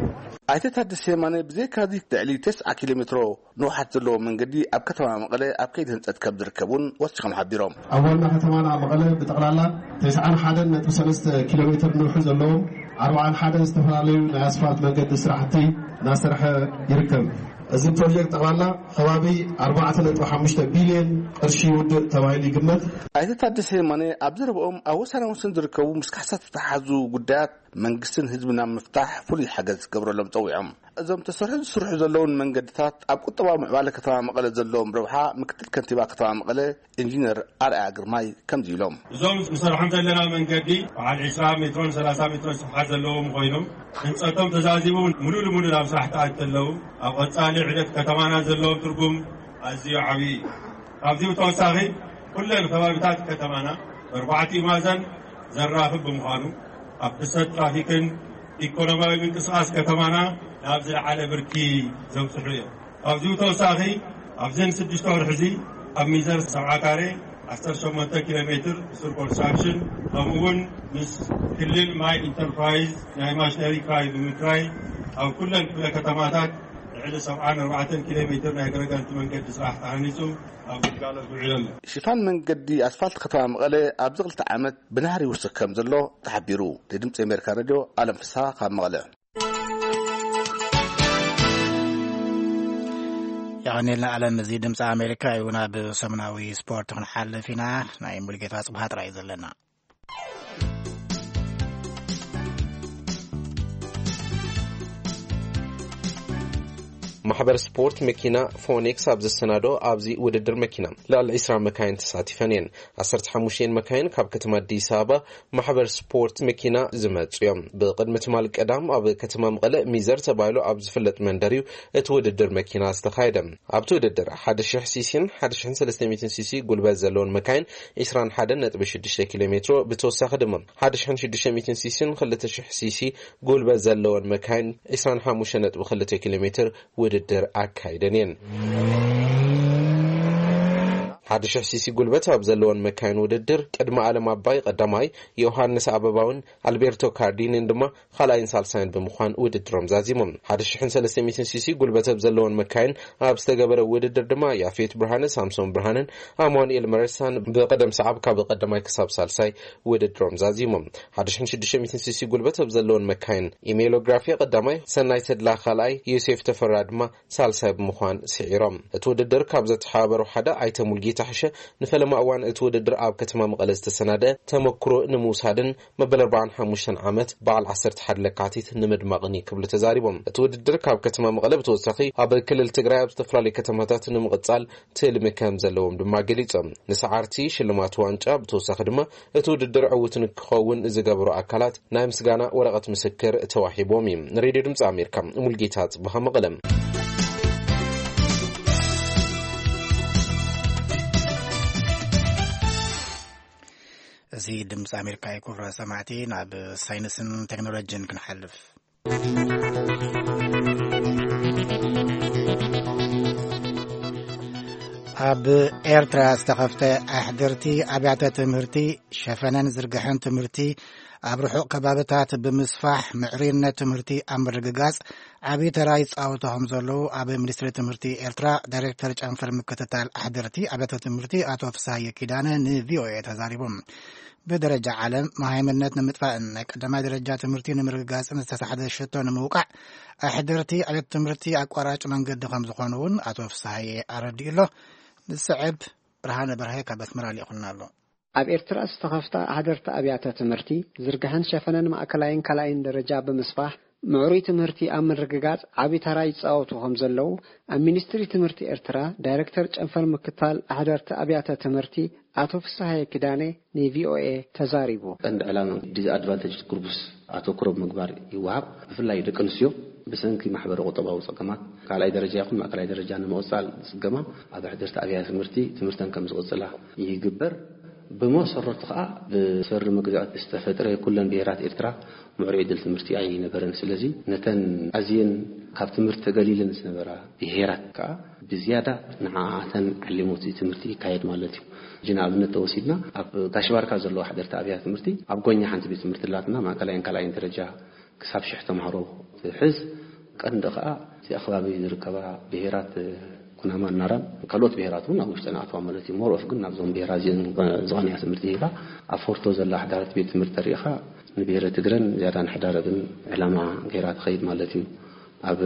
ኣይተ ታደሰ የማነ ብዘይካዚ ልዕሊ ተስዓ ኪሎ ሜትሮ ንውሓት ዘለዎ መንገዲ ኣብ ከተማ መቐለ ኣብ ከይዲ ህንፀት ከም ዝርከብ እውን ወሲኾም ሓቢሮም። ኣብ ዋና ከተማና መቐለ ብጠቕላላ ተስዓን ሓደን ነጥቢ ሰለስተ ኪሎ ሜትር ንውሒ ዘለዎም ኣርባዓን ሓደን ዝተፈላለዩ ናይ ኣስፋልት መንገዲ ስራሕቲ እናሰርሐ ይርከብ። እዚ ፕሮጀክት ጠቕላላ ከባቢ ኣርባዕተ ነጥቢ ሓሙሽተ ቢልዮን ቅርሺ ውድእ ተባሂሉ ይግመት። ኣይተ ታደሰ የማነ ኣብ ዘረብኦም ኣብ ወሳኒ ወሰን ዝርከቡ ምስ ካሕሳ ዝተተሓዙ ጉዳያት መንግስትን ህዝብን ኣብ ምፍታሕ ፍሉይ ሓገዝ ክገብረሎም ፀዊዖም። እዞም ተሰርሑ ዝስርሑ ዘለውን መንገድታት ኣብ ቁጠባዊ ምዕባለ ከተማ መቐለ ዘለዎም ረብሓ ምክትል ከንቲባ ከተማ መቐለ ኢንጂነር ኣርኣያ ግርማይ ከምዚ ኢሎም። እዞም ንሰርሖም ዘለና መንገዲ በዓል ዕስራ ሜትሮን ሰላሳ ሜትሮን ስፍሓት ዘለዎም ኮይኖም ህንፀቶም ተዛዚቡ ሙሉ ንሙሉ ናብ ስራሕ ተኣት ከለዉ ኣብ ቀፃሊ ዕደት ከተማና ዘለዎም ትርጉም ኣዝዩ ዓብዪ እዩ። ካብዚ ብተወሳኺ ኩለን ከባቢታት ከተማና በርባዕቲኡ ማእዘን ዘራኽብ ብምዃኑ ኣብ ፍሰት ትራፊክን ኢኮኖሚያዊ ምንቅስቃስ ከተማና ናብ ዝለዓለ ብርኪ ዘብፅሑ እዮም። ካብዚ ብተወሳኺ ኣብዘን ሽዱሽተ ወርሒ እዚ ኣብ ሚዘር ሰብዓ ካሬ ዓሰርተ ሸሞንተ ኪሎ ሜትር ሱር ኮንስትራክሽን ከምኡ እውን ምስ ክልል ማይ ኢንተርፕራይዝ ናይ ማሽነሪ ክራይ ብምክራይ ኣብ ኩለን ክፍለ ከተማታት ልዕሊ ሰብዓን ኣርባዕተን ኪሎ ሜትር ናይ ገረጋንቲ መንገዲ ስራሕ ተሃኒፁ ኣብ ግልጋሎት ውዒሉ ኣሎ። ሽፋን መንገዲ ኣስፋልት ከተማ መቐለ ኣብዚ ክልተ ዓመት ብናህሪ ይውስኽ ከም ዘሎ ተሓቢሩ። ንድምፂ ኣሜሪካ ሬድዮ ኣለም ፍስሃ ካብ መቐለ። የቐኔልና ኣለም። እዚ ድምፂ ኣሜሪካ እዩ። ናብ ሰሙናዊ ስፖርት ክንሓልፍ ኢና። ናይ ሙሉጌታ ጽብሃ ጥራይ እዩ ዘለና። ማሕበር ስፖርት መኪና ፎኒክስ ኣብ ዘሰናዶ ኣብዚ ውድድር መኪና ልዕሊ ዕስራ መካይን ተሳቲፈን እየን። ዓሰርተ ሓሙሽተ መካይን ካብ ከተማ ኣዲስ ኣበባ ማሕበር ስፖርት መኪና ዝመጹ እዮም። ብቕድሚ ትማል ቀዳም ኣብ ከተማ መቐለ ሚዘር ተባሂሉ ኣብ ዝፍለጥ መንደር እዩ እቲ ውድድር መኪና ዝተኻየደ። ኣብቲ ውድድር ሓደ ሽሕ ሲሲን ሓደ ሽሕን ሰለስተ ሚእትን ሲሲ ጉልበት ዘለዎን መካይን ዕስራን ሓደን ነጥቢ ሽዱሽተ ኪሎ ሜትሮ፣ ብተወሳኺ ድማ ሓደ ሽሕን ሽዱሽተ ሚእትን ሲሲን ክልተ ሽሕ ሲሲ ጉልበት ዘለዎን መካይን ዕስራን ሓሙሽተ ነጥቢ ክልተ ኪሎ ሜትር ውድድር ኣካይደን እየን። ሓደ ሽሕ ሲሲ ጉልበት ኣብ ዘለወን መካይን ውድድር ቅድሚ ኣለም ኣባይ ቀዳማይ፣ ዮሃንስ ኣበባውን ኣልቤርቶ ካርዲኒን ድማ ካልኣይን ሳልሳይን ብምዃን ውድድሮም ዛዚሞም። ሓደ ሽሕን ሰለስተ ሚእትን ሲሲ ጉልበት ኣብ ዘለወን መካይን ኣብ ዝተገበረ ውድድር ድማ ያፌት ብርሃነ፣ ሳምሶን ብርሃነን ኣማኑኤል መረሳን ብቐደም ሰዓብ ካብ ቀዳማይ ክሳብ ሳልሳይ ውድድሮም ዛዚሞም። ሓደ ሽሕን ሽዱሽተ ሚእትን ሲሲ ጉልበት ኣብ ዘለወን መካይን ኢሜሎግራፊ ቀዳማይ፣ ሰናይ ተድላ ካልኣይ፣ ዮሴፍ ተፈራ ድማ ሳልሳይ ብምዃን ስዒሮም። እቲ ውድድር ካብ ዘተሓባበሩ ሓደ ኣይተ ሙልጌታ ሕሸ ንፈለማ እዋን እቲ ውድድር ኣብ ከተማ መቐለ ዝተሰናደ ተመክሮ ንምውሳድን መበል ኣርባዓን ሓሙሽተን ዓመት በዓል ዓሰርተ ሓደ ለካቲት ንምድማቕን እዩ ክብሉ ተዛሪቦም። እቲ ውድድር ካብ ከተማ መቐለ ብተወሳኺ ኣብ ክልል ትግራይ ኣብ ዝተፈላለዩ ከተማታት ንምቕጻል ትልሚ ከም ዘለዎም ድማ ገሊጾም። ንሰዓርቲ ሽልማት ዋንጫ ብተወሳኺ ድማ እቲ ውድድር ዕዉት ንክኸውን ዝገበሩ ኣካላት ናይ ምስጋና ወረቐት ምስክር ተዋሂቦም እዩ። ንሬድዮ ድምፂ ኣሜሪካ ሙልጌታ ጽብሃ መቐለም። እዚ ድምፂ ኣሜሪካ እዩ። ክቡራት ሰማዕቲ፣ ናብ ሳይንስን ቴክኖሎጂን ክንሓልፍ። ኣብ ኤርትራ ዝተኸፍተ ኣሕድርቲ ኣብያተ ትምህርቲ ሸፈነን ዝርግሐን ትምህርቲ ኣብ ርሑቕ ከባብታት ብምስፋሕ ምዕሩይነት ትምህርቲ ኣብ ምርግጋጽ ዓቢ ተራ ይጻወቱ ከም ዘለዉ ኣብ ሚኒስትሪ ትምህርቲ ኤርትራ ዳይሬክተር ጨንፈር ምክትታል ኣሕድርቲ ኣብያተ ትምህርቲ ኣቶ ፍስሃየ ኪዳነ ንቪኦኤ ተዛሪቦም። ብደረጃ ዓለም መሃይምነት ንምጥፋእን ናይ ቀዳማይ ደረጃ ትምህርቲ ንምርግጋጽን ዝተሳሕደ ሽቶ ንምውቃዕ ኣሕድርቲ ኣብያተ ትምህርቲ ኣቋራጭ መንገዲ ከም ዝኾኑ እውን ኣቶ ፍስሃየ ኣረዲኡ ኣሎ። ዝስዕብ ብርሃነ በርሀ ካብ ኣስመራ ልኢኹልና ኣሎ። ኣብ ኤርትራ ዝተኸፍታ ኣሕደርቲ ኣብያተ ትምህርቲ ዝርግሐን ሸፈነን ማእከላይን ካልኣይን ደረጃ ብምስፋሕ ምዕሩይ ትምህርቲ ኣብ ምርግጋጽ ዓቢ ተራ ይጻወቱ ከም ዘለዉ ኣብ ሚኒስትሪ ትምህርቲ ኤርትራ ዳይሬክተር ጨንፈር ምክታል ኣሕደርቲ ኣብያተ ትምህርቲ ኣቶ ፍስሃየ ኪዳነ ንቪኦኤ ተዛሪቡ። ቀንዲ ዕላማ ዲስኣድቫንቴጅ ግሩፕስ ኣተኩሮ ብምግባር ይወሃብ። ብፍላይ ደቂ ኣንስትዮ ብሰንኪ ማሕበረ ቁጠባዊ ጸገማት ካልኣይ ደረጃ ይኹን ማእከላይ ደረጃ ንምቕጻል ዝጽገማ ኣብ ኣሕደርቲ ኣብያተ ትምህርቲ ትምህርተን ከም ዝቕጽላ ይግበር። ብመሰረቱ ከኣ ብሰሪ መግዛእቲ ዝተፈጥረ ኩለን ብሄራት ኤርትራ ምዕሩይ ዕድል ትምህርቲ ኣይነበረን። ስለዚ ነተን ኣዝየን ካብ ትምህርቲ ተገሊለን ዝነበራ ብሄራት ከዓ ብዝያዳ ንዓኣተን ዓሊሙ እቲ ትምህርቲ ይካየድ ማለት እዩ። ሕጂ ንኣብነት ተወሲድና ኣብ ጋሽ ባርካ ዘለዋ ሓደርቲ ኣብያተ ትምህርቲ ኣብ ጎኛ ሓንቲ ቤት ትምህርቲ ኣላትና፣ ማእከላይን ካልኣይን ደረጃ ክሳብ ሽሕ ተምሃሮ ትሕዝ። ቀንዲ ከዓ እቲ ኣኸባቢ ዝርከባ ብሄራት ኩናማን ናራን ካልኦት ብሄራት እውን ኣብ ውሽጠን ኣትዋ ማለት እዩ። ሞሮፍ ግን ናብዞም ብሄራት እዚአን ዝቐንያ ትምህርቲ ሂባ ኣብ ፎርቶ ዘላ ሓዳረት ቤት ትምህርቲ ተሪኢኻ ንብሄረ ትግረን ዝያዳ ንሕዳረብን ዕላማ ገይራ ትኸይድ ማለት እዩ። ኣብ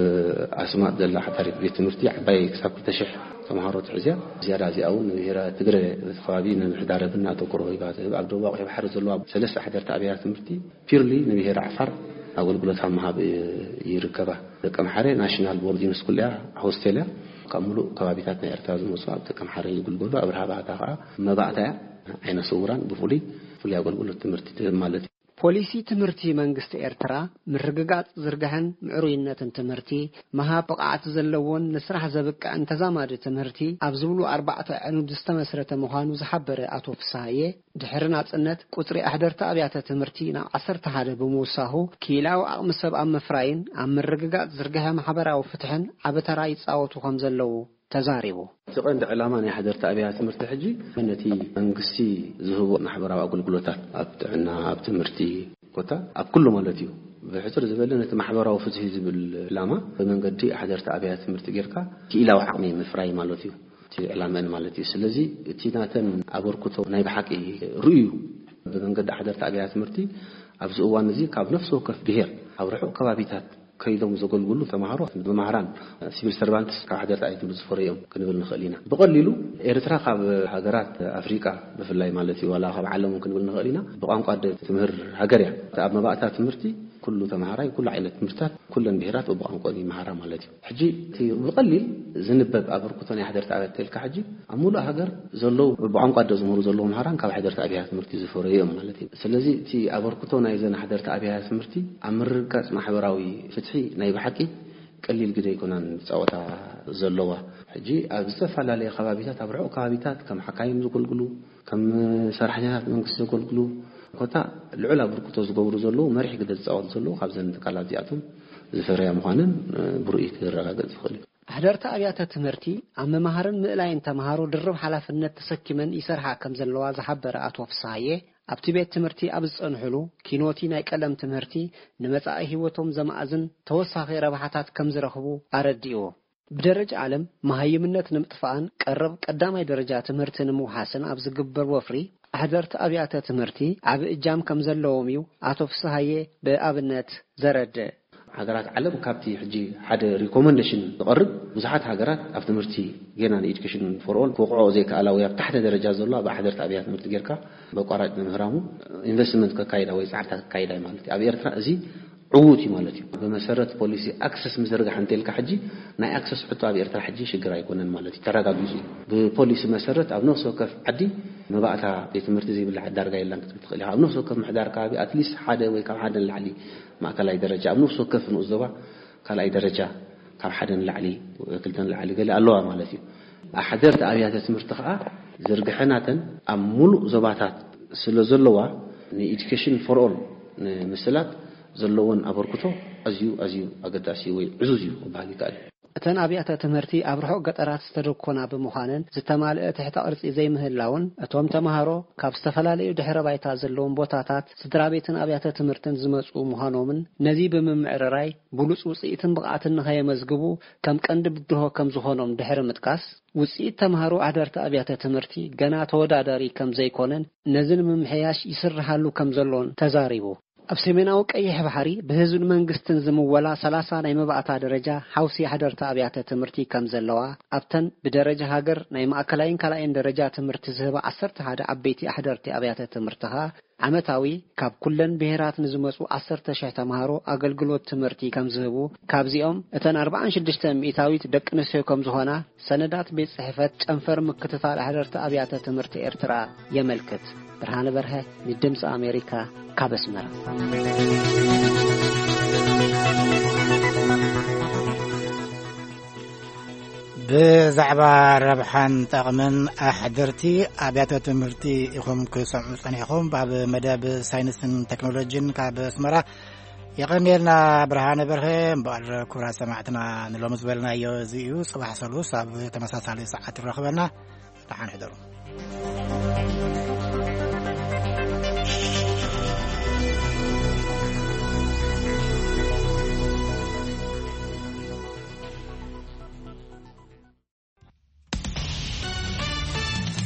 ኣስማጥ ዘላ ሓዳሪት ቤት ትምህርቲ ዓባይ ክሳብ ክልተ ሽሕ ተምሃሮ ትሕዝያ። ዝያዳ እዚኣ እውን ንብሄረ ትግረ እቲ ከባቢ ንምሕዳረብን ኣተኩሮ ሂባ ትህብ። ኣብ ደቡብ ኣቑሑ ባሕሪ ዘለዋ ሰለስተ ሓደርቲ ኣብያተ ትምህርቲ ፒርሊ ንብሄር ዓፋር ኣገልግሎት ኣብ ምሃብ ይርከባ። ደቀምሓረ ናሽናል ቦርዲንግ ስኩል እያ፣ ሆስቴል እያ። ካብ ሙሉእ ከባቢታት ናይ ኤርትራ ዝመፁ ኣብ ደቀምሓረ ይግልገሉ። ኣብርሃ ባእታ ከዓ መባእታ እያ፣ ዓይነ ስውራን ብፍሉይ ፍሉይ ኣገልግሎት ትምህርቲ ትህብ ማለት እዩ። ፖሊሲ ትምህርቲ መንግስቲ ኤርትራ ምርግጋጽ ዝርግሐን ምዕሩይነትን ትምህርቲ፣ ምሃብ ብቕዓት ዘለዎን ንስራሕ ዘብቅዕን ተዛማዲ ትምህርቲ ኣብ ዝብሉ ኣርባዕተ ኣዕኑድ ዝተመስረተ ምዃኑ ዝሓበረ ኣቶ ፍስሃየ፣ ድሕሪ ናጽነት ቁጽሪ ኣሕደርቲ ኣብያተ ትምህርቲ ናብ ዓሰርተ ሓደ ብምውሳኹ፣ ክኢላዊ ዓቕሚ ሰብ ኣብ ምፍራይን ኣብ ምርግጋጽ ዝርግሐ ማሕበራዊ ፍትሕን ዓቢ ተራ ይጻወቱ ከም ዘለዉ ተዛሪቡ። እቲ ቀንዲ ዕላማ ናይ ሓደርቲ ኣብያተ ትምህርቲ ሕጂ ነቲ መንግስቲ ዝህቦ ማሕበራዊ ኣገልግሎታት ኣብ ጥዕና፣ ኣብ ትምህርቲ ኮታ ኣብ ኩሉ ማለት እዩ። ብሕጽር ዝበለ ነቲ ማሕበራዊ ፍትሒ ዝብል ዕላማ ብመንገዲ ሓደርቲ ኣብያተ ትምህርቲ ጌርካ ክኢላዊ ዓቕሚ ምፍራይ ማለት እዩ። እቲ ዕላመን ማለት እዩ። ስለዚ እቲ ናተን ኣበርክቶ ናይ ብሓቂ ርእዩ ብመንገዲ ሓደርቲ ኣብያተ ትምህርቲ ኣብዚ እዋን እዚ ካብ ነፍሲ ወከፍ ብሄር ኣብ ርሑቕ ከባቢታት ከይዶም ዘገልግሉ ተምሃሮ፣ መማህራን፣ ሲቪል ሰርቫንትስ ካብ ሓደርቲ ኣብያተ ትምህርቲ ዝፈረዮም ክንብል ንኽእል ኢና። ብቐሊሉ ኤርትራ ካብ ሃገራት ኣፍሪቃ ብፍላይ ማለት እዩ፣ ዋላ ካብ ዓለም እውን ክንብል ንኽእል ኢና፣ ብቋንቋ ኣደ ትምህር ሃገር እያ። ኣብ መባእታ ትምህርቲ ኩሉ ተምሃራይ፣ ኩሉ ዓይነት ትምህርትታት፣ ኩለን ብሄራት በብቋንቋ ይመሃራ ማለት እዩ። ሕጂ እቲ ብቐሊል ዝንበብ ኣበርክቶ ናይ ሓደርቲ ኣብያተ ትምህርቲ ኢልካ ሕጂ ኣብ ሙሉእ ሃገር ዘለዉ ብቋንቋ ኣደ ዝምህሩ ዘለዉ መሃራን ካብ ሓደርቲ ኣብያተ ትምህርቲ ዝፈረዩ እዮም ማለት እዩ። ስለዚ እቲ ኣበርክቶ ናይዘን ሓደርቲ ኣብያተ ትምህርቲ ኣብ ምርግጋጽ ማሕበራዊ ፍትሒ ናይ ብሓቂ ቀሊል ግደ ኣይኮናን ዝጻወታ ዘለዋ። ሕጂ ኣብ ዝተፈላለየ ከባቢታት፣ ኣብ ርሑቕ ከባቢታት ከም ሓካይም ዘገልግሉ፣ ከም ሰራሕተኛታት መንግስቲ ዘገልግሉ ኮታ ልዑል ኣበርክቶ ዝገብሩ ዘለዉ፣ መሪሕ ግደ ዝጻወቱ ዘለዉ ካብዘን ትካላት እዚኣቶም ዝፈረያ ምዃነን ብርእይ ክረጋገጽ ዝኽእል እዩ። ኣሕደርቲ ኣብያተ ትምህርቲ ኣብ ምምሃርን ምእላይን ተምሃሮ ድርብ ሓላፍነት ተሰኪመን ይሰርሓ ከም ዘለዋ ዝሓበረ ኣቶ ፍስሃየ፣ ኣብቲ ቤት ትምህርቲ ኣብ ዝጸንሕሉ ኪኖቲ ናይ ቀለም ትምህርቲ ንመጻኢ ህይወቶም ዘማእዝን ተወሳኺ ረብሓታት ከም ዝረኽቡ ኣረዲእዎ። ብደረጃ ዓለም መሃይምነት ንምጥፋእን ቀረብ ቀዳማይ ደረጃ ትምህርቲ ንምውሓስን ኣብ ዝግበር ወፍሪ ኣሕደርቲ ኣብያተ ትምህርቲ ዓቢ እጃም ከም ዘለዎም እዩ ኣቶ ፍስሃየ ብኣብነት ዘረድእ። ሃገራት ዓለም ካብቲ ሕጂ ሓደ ሪኮመንዴሽን ዝቐርብ፣ ብዙሓት ሃገራት ኣብ ትምህርቲ ጌና ንኤዱኬሽን ፎር ኦል ክወቕዖ ዘይከኣላ ወይ ኣብ ታሕተ ደረጃ ዘሎ ኣብ ኣሕደርቲ ኣብያተ ትምህርቲ ጌርካ በቋራጭ ንምህራሙ ኢንቨስትመንት ከካይዳ ወይ ጻዕርታት ከካይዳ እዩ ማለት እዩ። ኣብ ኤርትራ እዚ ዕዉት እዩ ማለት እዩ። ብመሰረት ፖሊሲ ኣክሰስ ምዝርጋሕ እንተልካ ሕጂ ናይ ኣክሰስ ሕቶ ኣብ ኤርትራ ሕጂ ሽግር ኣይኮነን ማለት እዩ። ተረጋጊጹ እዩ። ብፖሊሲ መሰረት ኣብ ነፍሲ ወከፍ ዓዲ መባእታ ቤት ትምህርቲ ዘይብላ ዓዲ ዳርጋ የላን ክትብል ትኽእል ኢኻ። ኣብ ነፍሲ ወከፍ ምሕዳር ከባቢ ኣትሊስት ሓደ ወይ ካብ ሓደ ንላዕሊ ማእከላይ ደረጃ፣ ኣብ ነፍሲ ወከፍ ንኡስ ዞባ ካልኣይ ደረጃ ካብ ሓደ ንላዕሊ፣ ክልተ ንላዕሊ ገለ ኣለዋ ማለት እዩ። ኣሕደርቲ ኣብያተ ትምህርቲ ከኣ ዝርግሐ ናተን ኣብ ሙሉእ ዞባታት ስለ ዘለዋ ንኤዱኬሽን ፎር ኦል ንምስላጥ ዘለወን ኣበርክቶ ኣዝዩ፣ ኣዝዩ ኣገዳሲ ወይ ዕዙዝ እዩ ክበሃል ይከኣል እዩ። እተን ኣብያተ ትምህርቲ ኣብ ርሑቕ ገጠራት ዝተደኮና ብምዃነን ዝተማልአ ትሕተ ቅርጺ ዘይምህላውን እቶም ተምሃሮ ካብ ዝተፈላለዩ ድሕረ ባይታ ዘለዎም ቦታታት ስድራ ቤትን ኣብያተ ትምህርትን ዝመጹ ምዃኖምን ነዚ ብምምዕርራይ ብሉጽ ውጽኢትን ብቕዓትን ንኸየመዝግቡ ከም ቀንዲ ብድሆ ከም ዝኾኖም ድሕሪ ምጥቃስ፣ ውጽኢት ተምሃሮ ኣሕደርቲ ኣብያተ ትምህርቲ ገና ተወዳዳሪ ከም ዘይኮነን ነዚ ንምምሕያሽ ይስርሓሉ ከም ዘሎን ተዛሪቡ። ኣብ ሰሜናዊ ቀይሕ ባሕሪ ብህዝብን መንግስትን ዝምወላ ሰላሳ ናይ መባእታ ደረጃ ሓውሲ ኣሕደርቲ ኣብያተ ትምህርቲ ከም ዘለዋ፣ ኣብተን ብደረጃ ሃገር ናይ ማእከላይን ካልኣይን ደረጃ ትምህርቲ ዝህባ ዓሰርተ ሓደ ዓበይቲ ኣሕደርቲ ኣብያተ ትምህርቲ ኸኣ ዓመታዊ ካብ ኩለን ብሄራት ንዝመጹ ዓሰርተ ሽሕ ተምሃሮ ኣገልግሎት ትምህርቲ ከም ዝህቡ፣ ካብዚኦም እተን ኣርብዓን ሽዱሽተ ሚእታዊት ደቂ ኣንስትዮ ከም ዝኾና ሰነዳት ቤት ጽሕፈት ጨንፈር ምክትታል ኣሕደርቲ ኣብያተ ትምህርቲ ኤርትራ የመልክት። ብርሃነ በርሀ ንድምፂ ኣሜሪካ ካብ ኣስመራ። ብዛዕባ ረብሓን ጠቕምን ኣሕደርቲ ኣብያተ ትምህርቲ ኢኹም ክሰምዑ ጸኒሕኹም። ኣብ መደብ ሳይንስን ቴክኖሎጂን ካብ ኣስመራ የቐንየልና ብርሃነ በርሀ። እምበኣር ክቡራት ሰማዕትና፣ ንሎሚ ዝበልናዮ እዚ እዩ። ጽባሕ ሰሉስ ኣብ ተመሳሳሊ ሰዓት ንራኸበና። ደሓን ሕደሩ።